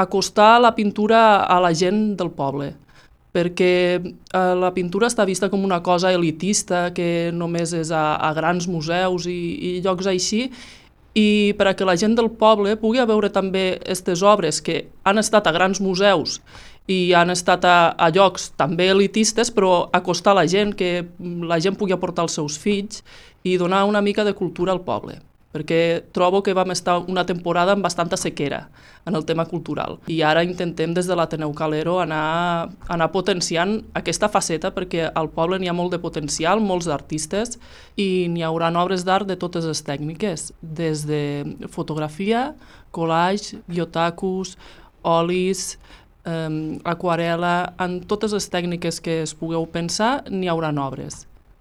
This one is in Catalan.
acostar la pintura a la gent del poble, perquè la pintura està vista com una cosa elitista que només és a grans museus i llocs així, i per a que la gent del poble pugui veure també aquestes obres que han estat a grans museus i han estat a llocs també elitistes, però acostar la gent, que la gent pugui aportar els seus fills i donar una mica de cultura al poble, perquè trobo que vam estar una temporada amb bastanta sequera en el tema cultural. I ara intentem des de l'Ateneu Calero anar potenciant aquesta faceta, perquè al poble n'hi ha molt de potencial, molts artistes, i n'hi haurà obres d'art de totes les tècniques, des de fotografia, collage, biotacus, olis, aquarela, en totes les tècniques que es pugueu pensar n'hi haurà obres.